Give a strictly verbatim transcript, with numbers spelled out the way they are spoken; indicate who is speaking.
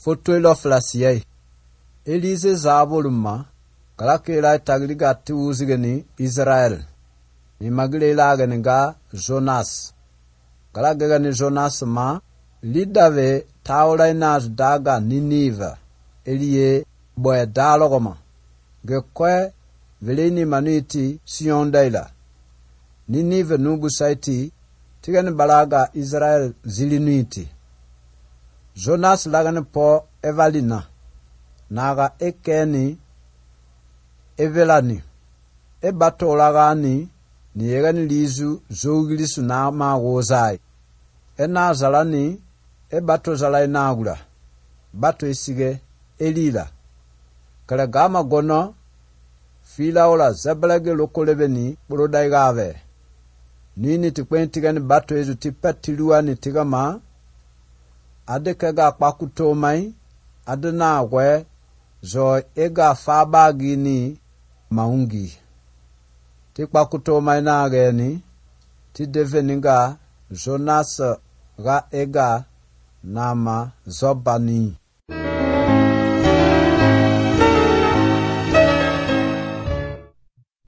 Speaker 1: fotoilo flasiye. Elise zaboluma kalakela tagliga tiuzigeni Israel. Ni magile gani ga Jonas. Kalagega ni Jonas ma lidave taulainas daga Ninive. Elie boye dalogoma. Ge kwe veleni manuiti siondaila. Ninive nubu saiti tigani balaga Israel zilinuiti. Jonas lagani po evalina. Naga ekeni evelani. E bato lagani ni yegani lizu zogilisu na ma wozai. E na zalani e bato zalai nagula. Bato isige elila. Kale gama gono fila ola zeblege lokolebeni bulodaigave. Nini tikwen tigani bato ezu tipetiluwa ni tigama. Adekega kwakutomai. Adena we zo ega fabagi ni maungi. Ti kwakutomai na ageni. Ti deveninga Jonas ga ega nama zobani.